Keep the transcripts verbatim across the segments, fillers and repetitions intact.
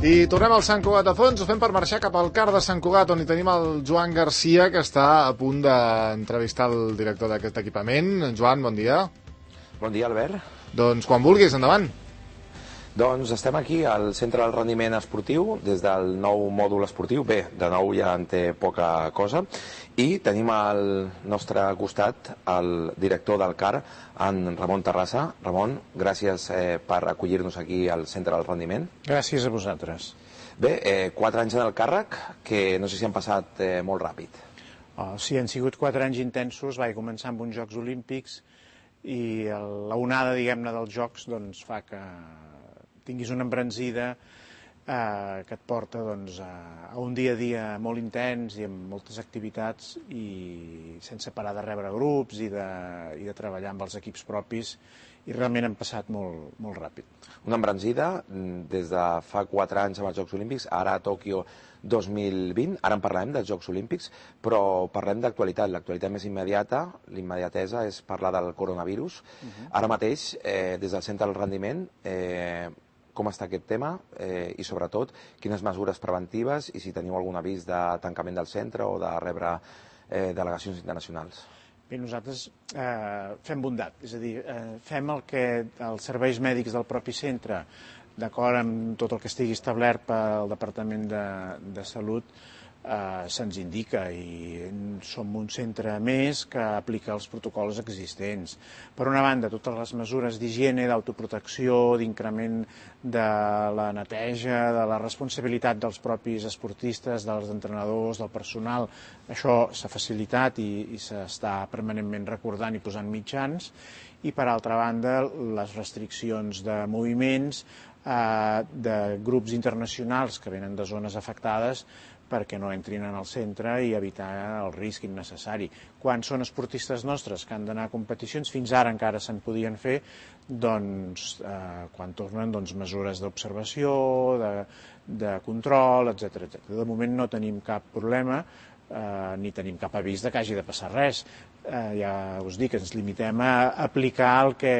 I tornem al Sant Cugat de Fons, ho fem per marxar cap al car de Sant Cugat, on hi tenim el Joan Garcia, que està a punt d'entrevistar el director d'aquest equipament. Joan, bon dia. Bon dia, Albert. Doncs quan vulguis, endavant. Doncs estem aquí al Centre del Rendiment Esportiu, des del nou mòdul esportiu. Bé, de nou ja en té poca cosa. I tenim al nostre costat el director del car, en Ramon Terrassa. Ramon, gràcies eh, per acollir-nos aquí al Centre del Rendiment. Gràcies a vosaltres. Bé, eh, quatre anys en el càrrec, que no sé si han passat eh, molt ràpid. Oh, sí, han sigut quatre anys intensos. Vaig començar amb uns Jocs Olímpics i l'onada, diguem-ne, dels Jocs doncs, fa que tinguis una embranzida eh, que et porta doncs, a, a un dia a dia molt intens i amb moltes activitats i sense parar de rebre grups i de, i de treballar amb els equips propis, i realment han passat molt, molt ràpid. Una embranzida des de fa quatre anys amb els Jocs Olímpics, ara a Tòquio dos mil vint, ara en parlarem dels Jocs Olímpics, però parlem d'actualitat. L'actualitat més immediata, l'immediatesa, és parlar del coronavirus. Uh-huh. Ara mateix, eh, des del Centre del Rendiment, eh, com està aquest tema eh, i, sobretot, quines mesures preventives i si teniu algun avís de tancament del centre o de rebre eh, delegacions internacionals. Bé, nosaltres eh, fem bondat, és a dir, eh, fem el que els serveis mèdics del propi centre, d'acord amb tot el que estigui establert pel Departament de, de Salut, eh, se'ns indica, i som un centre més que aplica els protocols existents. Per una banda, totes les mesures d'higiene, d'autoprotecció, d'increment de la neteja, de la responsabilitat dels propis esportistes, dels entrenadors, del personal, això s'ha facilitat i, i s'està permanentment recordant i posant mitjans. I, per altra banda, les restriccions de moviments, eh, de grups internacionals que venen de zones afectades, perquè no entrin en el centre i evitar el risc innecessari. Quan són esportistes nostres que han d'anar a competicions, fins ara encara se'n podien fer, doncs, eh, quan tornen, doncs, mesures d'observació, de, de control, etcètera, etcètera. De moment no tenim cap problema, eh, ni tenim cap avís de que hagi de passar res. Eh, ja us dic, ens limitem a aplicar el que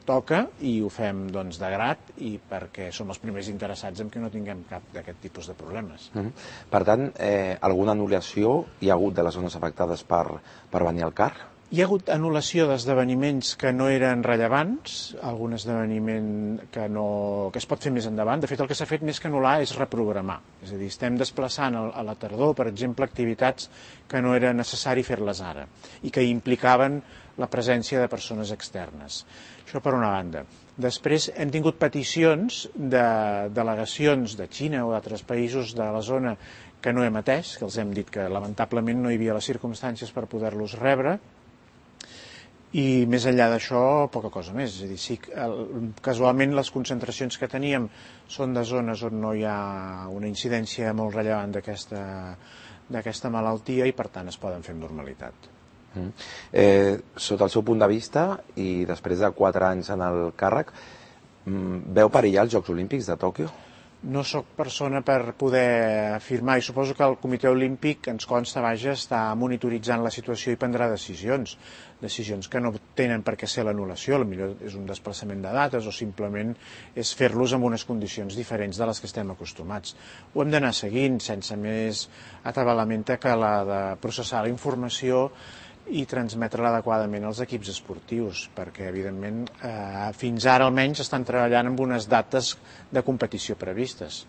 toca i ho fem doncs, de grat, i perquè som els primers interessats en que no tinguem cap d'aquest tipus de problemes. Mm-hmm. Per tant, eh, alguna anul·lació hi ha hagut de les zones afectades per, per venir al car? Hi ha hagut anul·lació d'esdeveniments que no eren rellevants, algun esdeveniment que, no, que es pot fer més endavant. De fet, el que s'ha fet més que anul·lar és reprogramar. És a dir, estem desplaçant a la tardor, per exemple, activitats que no era necessari fer-les ara i que implicaven la presència de persones externes. Això per una banda. Després hem tingut peticions de delegacions de Xina o d'altres països de la zona que no hem atès, que els hem dit que lamentablement no hi havia les circumstàncies per poder-los rebre. I més enllà d'això, poca cosa més. És a dir, sí, casualment les concentracions que teníem són de zones on no hi ha una incidència molt rellevant d'aquesta d'aquesta malaltia i, per tant, es poden fer amb normalitat. Mm. Eh, sota el seu punt de vista, i després de quatre anys en el càrrec, veu perillar els Jocs Olímpics de Tòquio? No sóc persona per poder afirmar, i suposo que el Comitè Olímpic, ens consta, vaja, està monitoritzant la situació i prendrà decisions. Decisions que no tenen per què ser l'anul·lació, potser és un desplaçament de dates o simplement és fer-los en unes condicions diferents de les que estem acostumats. Ho hem d'anar seguint sense més atabalament que la de processar la informació i transmetre-la adequadament als equips esportius, perquè, evidentment, eh, fins ara almenys estan treballant amb unes dates de competició previstes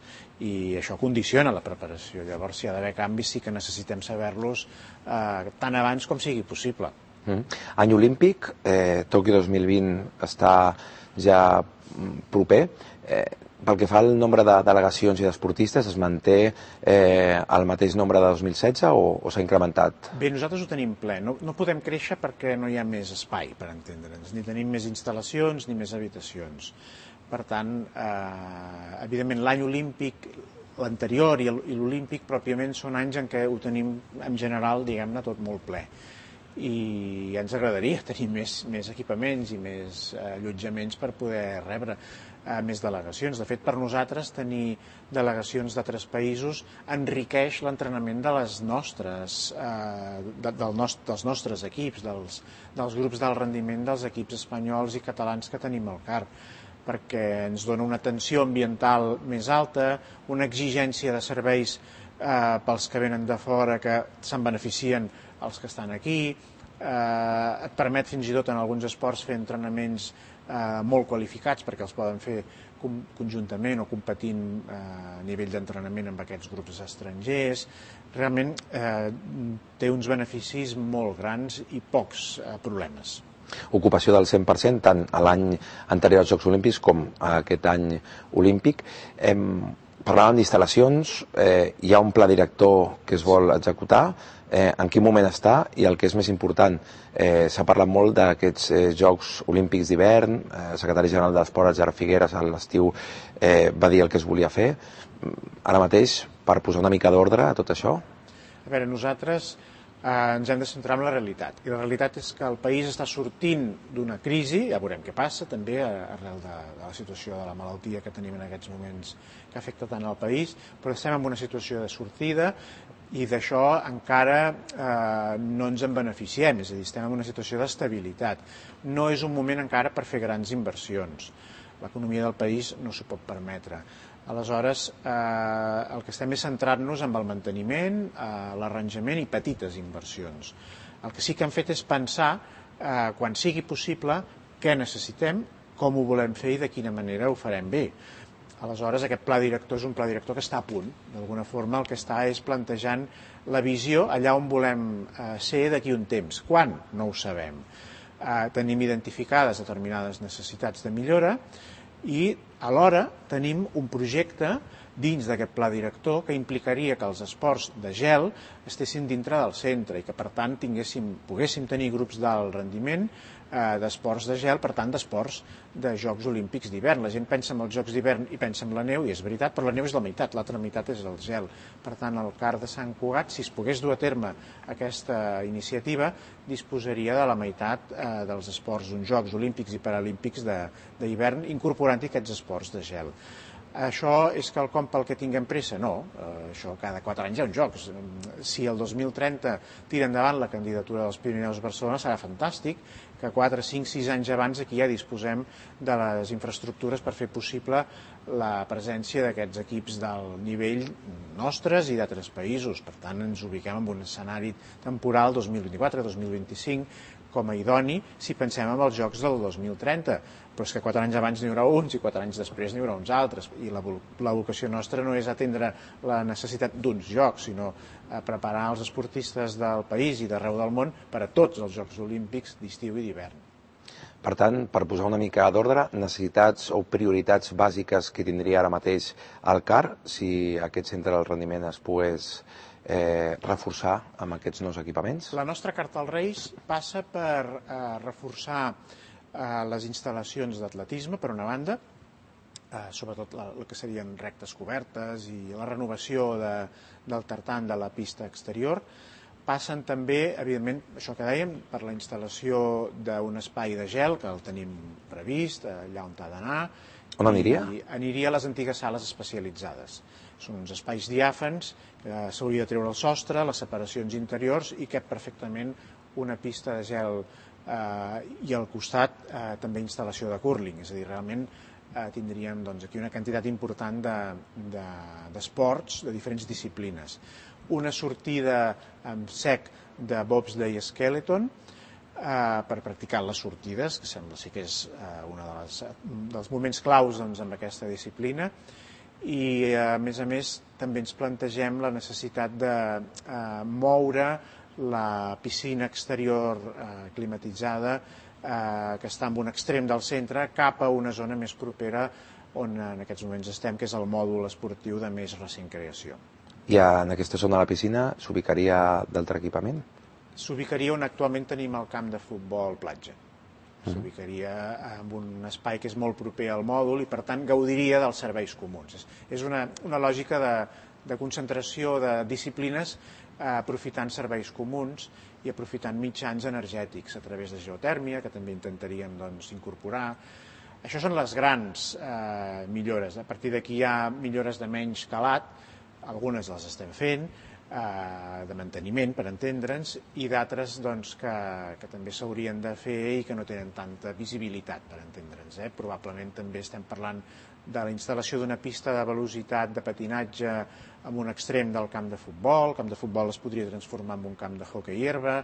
i això condiciona la preparació. Llavors, si hi ha d'haver canvis, sí que necessitem saber-los eh, tan abans com sigui possible. Mm. Any olímpic, eh, Tòquio dos mil vint està ja proper. Eh, pel que fa al nombre de delegacions i d'esportistes, es manté eh, el mateix nombre de dos mil setze o, o s'ha incrementat? Bé, nosaltres ho tenim ple. No, no podem créixer perquè no hi ha més espai, per entendre'ns. Ni tenim més instal·lacions ni més habitacions. Per tant, eh, evidentment, l'any olímpic, l'anterior i l'olímpic pròpiament són anys en què ho tenim, en general, diguem-ne, tot molt ple. I ja ens agradaria tenir més, més equipaments i més eh, allotjaments per poder rebre eh, més delegacions. De fet, per nosaltres, tenir delegacions d'altres països enriqueix l'entrenament de les nostres, eh, de, del nost dels nostres equips, dels, dels grups d'alt rendiment dels equips espanyols i catalans que tenim al car. perquè ens dona una tensió ambiental més alta, una exigència de serveis eh, pels que venen de fora que se'n beneficien els que estan aquí, eh, et permet fins i tot en alguns esports fer entrenaments eh, molt qualificats perquè els poden fer conjuntament o competint eh, a nivell d'entrenament amb aquests grups estrangers. Realment eh, té uns beneficis molt grans i pocs eh, problemes. Ocupació del cent per cent tant a l'any anterior als Jocs Olímpics com a aquest any olímpic. Em, parlàvem d'instal·lacions, eh, hi ha un pla director que es vol executar, eh, en quin moment està, i el que és més important, eh, s'ha parlat molt d'aquests eh, Jocs Olímpics d'hivern, eh, el secretari general d'Esport, Gerard Figueres, a l'estiu eh, va dir el que es volia fer. Ara mateix, per posar una mica d'ordre a tot això? A veure, nosaltres eh, ens hem de centrar en la realitat, i la realitat és que el país està sortint d'una crisi, ja veurem què passa també arrel de, de la situació de la malaltia que tenim en aquests moments que afecta tant al país, però estem en una situació de sortida i d'això encara eh, no ens en beneficiem, és a dir, estem en una situació d'estabilitat. No és un moment encara per fer grans inversions. L'economia del país no s'ho pot permetre. Aleshores, eh, el que estem és centrar-nos en el manteniment, eh, l'arranjament i petites inversions. El que sí que hem fet és pensar, eh, quan sigui possible, què necessitem, com ho volem fer i de quina manera ho farem bé. Aleshores, aquest pla director és un pla director que està a punt. D'alguna forma, el que està és plantejant la visió allà on volem eh, ser d'aquí un temps. Quan? No ho sabem. Eh, tenim identificades determinades necessitats de millora i alhora tenim un projecte dins d'aquest pla director que implicaria que els esports de gel estessin dintre del centre i que per tant tinguéssim, poguéssim tenir grups d'alt rendiment eh, d'esports de gel, per tant d'esports de Jocs Olímpics d'hivern. La gent pensa en els Jocs d'hivern i pensa en la neu, i és veritat, però la neu és la meitat, l'altra meitat és el gel. Per tant, el CAR de Sant Cugat, si es pogués dur a terme aquesta iniciativa, disposaria de la meitat eh, dels esports d'uns Jocs Olímpics i Paralímpics d'hivern, incorporant-hi aquests esports de gel. Això és quelcom pel que tinguem pressa? No, eh, això cada quatre anys hi ha uns jocs. Si el dos mil trenta tira endavant la candidatura dels Pirineus Barcelona serà fantàstic que quatre, cinc, sis anys abans aquí ja disposem de les infraestructures per fer possible la presència d'aquests equips del nivell nostres i d'altres països. Per tant, ens ubiquem en un escenari temporal dos mil vint-i-quatre dos mil vint-i-cinc com a idoni si pensem en els jocs del dos mil trenta. Però és que quatre anys abans n'hi haurà uns i quatre anys després n'hi haurà uns altres. I la, la vocació nostra no és atendre la necessitat d'uns jocs, sinó a preparar els esportistes del país i d'arreu del món per a tots els Jocs Olímpics d'estiu i d'hivern. Per tant, per posar una mica d'ordre, necessitats o prioritats bàsiques que tindria ara mateix el CAR, si aquest centre del rendiment es pogués eh, reforçar amb aquests nous equipaments? La nostra carta als Reis passa per eh, reforçar les instal·lacions d'atletisme, per una banda, eh, sobretot la, el que serien rectes cobertes i la renovació de, del tartan de la pista exterior. Passen també, evidentment, això que dèiem, per la instal·lació d'un espai de gel, que el tenim previst, allà on ha d'anar. On aniria? I aniria a les antigues sales especialitzades. Són uns espais diàfans, que s'hauria de treure el sostre, les separacions interiors, i cap perfectament una pista de gel Uh, i al costat uh, també instal·lació de curling, és a dir, realment uh, tindríem doncs, aquí una quantitat important d'esports de, de, de diferents disciplines. Una sortida amb sec de bobsleigh skeleton uh, per practicar les sortides, que sembla sí que és uh, un de dels moments claus doncs, amb aquesta disciplina, i uh, a més a més també ens plantegem la necessitat de uh, moure la piscina exterior eh, climatitzada eh, que està en un extrem del centre cap a una zona més propera on en aquests moments estem, que és el mòdul esportiu de més recent creació. I en aquesta zona de la piscina s'ubicaria d'altre equipament? S'ubicaria on actualment tenim el camp de futbol platja. S'ubicaria en un espai que és molt proper al mòdul i per tant gaudiria dels serveis comuns. És, és una, una lògica de, de concentració de disciplines aprofitant serveis comuns i aprofitant mitjans energètics a través de geotèrmia, que també intentaríem doncs, incorporar. Això són les grans eh, millores. A partir d'aquí hi ha millores de menys calat, algunes les estem fent, de manteniment, per entendre'ns, i d'altres doncs, que, que també s'haurien de fer i que no tenen tanta visibilitat, per entendre'ns. Eh? Probablement també estem parlant de la instal·lació d'una pista de velocitat de patinatge en un extrem del camp de futbol. El camp de futbol es podria transformar en un camp de hoquei herba.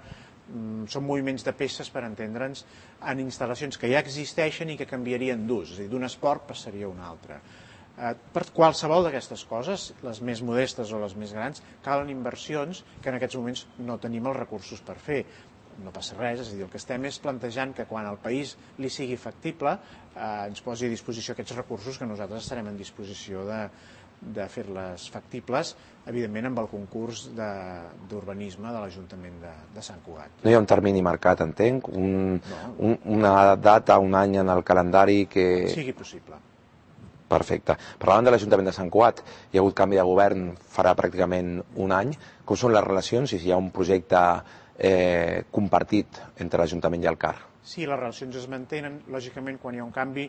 Són moviments de peces, per entendre'ns, en instal·lacions que ja existeixen i que canviarien d'ús, és a dir, d'un esport passaria a un altre. Per qualsevol d'aquestes coses, les més modestes o les més grans, calen inversions que en aquests moments no tenim els recursos per fer. No passa res, és a dir, el que estem és plantejant que quan al país li sigui factible eh, ens posi a disposició aquests recursos, que nosaltres estarem en disposició de, de fer-les factibles, evidentment amb el concurs d'urbanisme de, de l'Ajuntament de, de Sant Cugat. No hi ha un termini marcat, entenc? Un, no. un, una data, un any en el calendari que... Sigui possible. Perfecte. Parlant de l'Ajuntament de Sant Cugat, hi ha hagut canvi de govern farà pràcticament un any. Com són les relacions i si hi ha un projecte eh, compartit entre l'Ajuntament i el C A R? Sí, les relacions es mantenen. Lògicament, quan hi ha un canvi,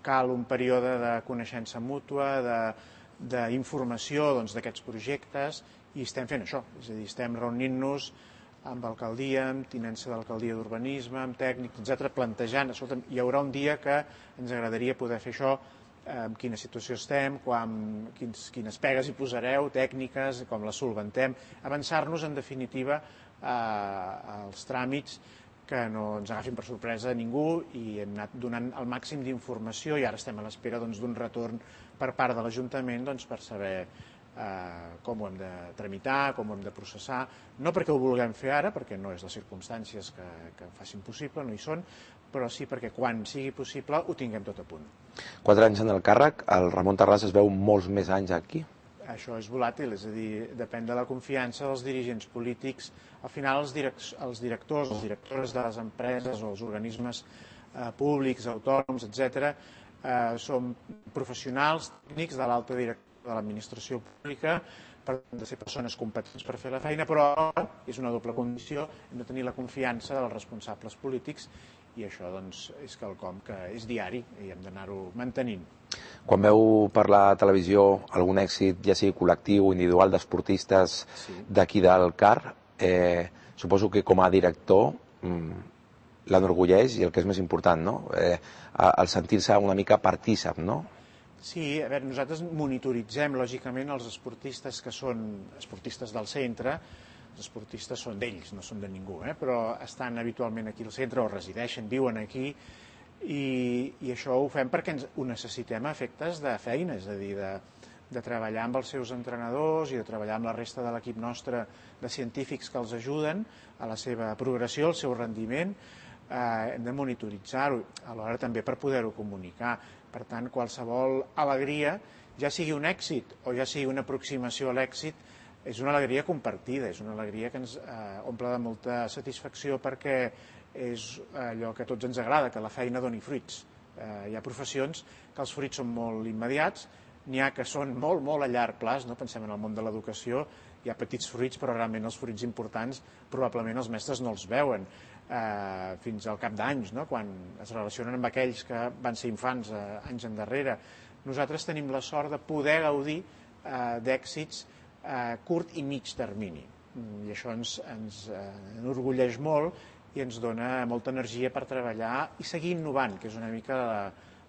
cal un període de coneixença mútua, d'informació doncs, d'aquests projectes, i estem fent això. És a dir, estem reunint-nos amb alcaldia, amb tinença d'alcaldia d'urbanisme, amb tècnics, etcètera, plantejant, escolta, hi haurà un dia que ens agradaria poder fer això, en quina situació estem, quan, quins, quines pegues hi posareu, tècniques, com les solventem, avançar-nos, en definitiva, eh, als tràmits que no ens agafin per sorpresa a ningú, i hem anat donant el màxim d'informació i ara estem a l'espera doncs, d'un retorn per part de l'Ajuntament doncs, per saber eh, com ho hem de tramitar, com ho hem de processar, no perquè ho vulguem fer ara, perquè no és les circumstàncies que, que ho facin possible, no hi són, però sí perquè quan sigui possible ho tinguem tot a punt. Quatre anys en el càrrec, el Ramon Terrades es veu molts més anys aquí. Això és volàtil, és a dir, depèn de la confiança dels dirigents polítics. Al final els, direct, els directors, les directores de les empreses o els organismes eh, públics, autònoms, etcètera, eh, són professionals tècnics de l'alta direcció de l'administració pública, per tant, de ser persones competents per fer la feina, però és una doble condició, hem de tenir la confiança dels responsables polítics, i això doncs, és quelcom que és diari i hem d'anar-ho mantenint. Quan veu per la televisió algun èxit, ja sigui col·lectiu o individual, d'esportistes sí. d'aquí del C A R, eh, suposo que com a director mmm, l'enorgulleix i el que és més important, no? eh, el sentir-se una mica partícip, no? Sí, a veure, nosaltres monitoritzem lògicament els esportistes que són esportistes del centre. Els esportistes són d'ells, no són de ningú, eh? Però estan habitualment aquí al centre o resideixen, viuen aquí, i, i això ho fem perquè ens, ho necessitem a efectes de feina, és a dir, de, de treballar amb els seus entrenadors i de treballar amb la resta de l'equip nostre de científics que els ajuden a la seva progressió, al seu rendiment. Eh, hem de monitoritzar-ho, alhora també per poder-ho comunicar. Per tant, qualsevol alegria, ja sigui un èxit o ja sigui una aproximació a l'èxit, és una alegria compartida, és una alegria que ens eh, omple de molta satisfacció perquè és allò que a tots ens agrada, que la feina doni fruits. Eh, hi ha professions que els fruits són molt immediats, n'hi ha que són molt, molt a llarg plaç, no? Pensem en el món de l'educació, hi ha petits fruits, però realment els fruits importants probablement els mestres no els veuen eh, fins al cap d'anys, no? Quan es relacionen amb aquells que van ser infants eh, anys endarrere. Nosaltres tenim la sort de poder gaudir eh, d'èxits a curt i mig termini, i això ens, ens eh, enorgulleix molt i ens dona molta energia per treballar i seguir innovant, que és una mica la,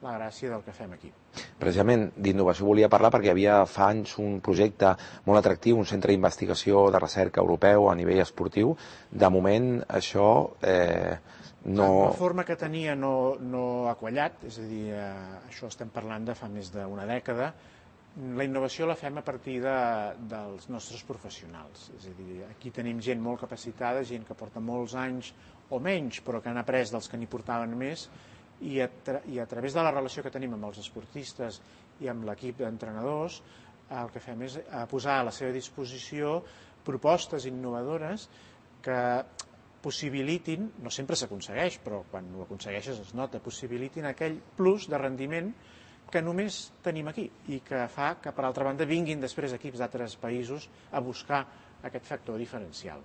la gràcia del que fem aquí. Precisament d'innovació volia parlar perquè hi havia fa anys un projecte molt atractiu, un centre d'investigació de recerca europeu a nivell esportiu. De moment això eh, no... La forma que tenia no, no ha quallat, és a dir, eh, això estem parlant de fa més d'una dècada. La innovació la fem a partir de, dels nostres professionals, és a dir, aquí tenim gent molt capacitada, gent que porta molts anys o menys, però que han après dels que n'hi portaven més, i a, tra i a través de la relació que tenim amb els esportistes i amb l'equip d'entrenadors, el que fem és posar a la seva disposició propostes innovadores que possibilitin, no sempre s'aconsegueix, però quan ho aconsegueixes es nota, possibilitin aquell plus de rendiment que només tenim aquí i que fa que, per altra banda, vinguin després equips d'altres països a buscar aquest factor diferencial.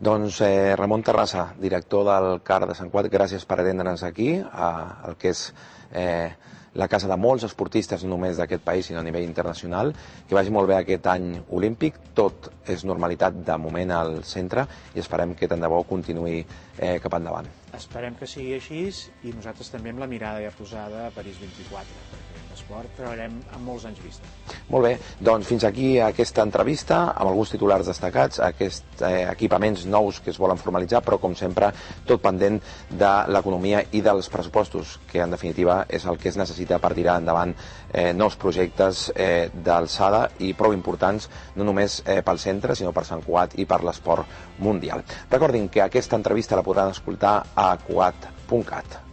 Doncs eh, Ramon Terrassa, director del CAR de Sant Cugat, gràcies per atendre'ns aquí, a, el que és eh, la casa de molts esportistes, no només d'aquest país, sinó a nivell internacional. Que vagi molt bé aquest any olímpic, tot és normalitat de moment al centre i esperem que tant de bo continuï eh, cap endavant. Esperem que sigui així i nosaltres també amb la mirada ja posada a París vint-i-quatre, perquè l'esport treballarem amb molts anys vista. Molt bé, doncs fins aquí aquesta entrevista amb alguns titulars destacats, aquests eh, equipaments nous que es volen formalitzar, però com sempre tot pendent de l'economia i dels pressupostos, que en definitiva és el que es necessita per tirar endavant eh, nous projectes eh, d'alçada i prou importants, no només eh, pel centre, sinó per Sant Cugat i per l'esport mundial. Recordin que aquesta entrevista la podran escoltar a cugat punt cat.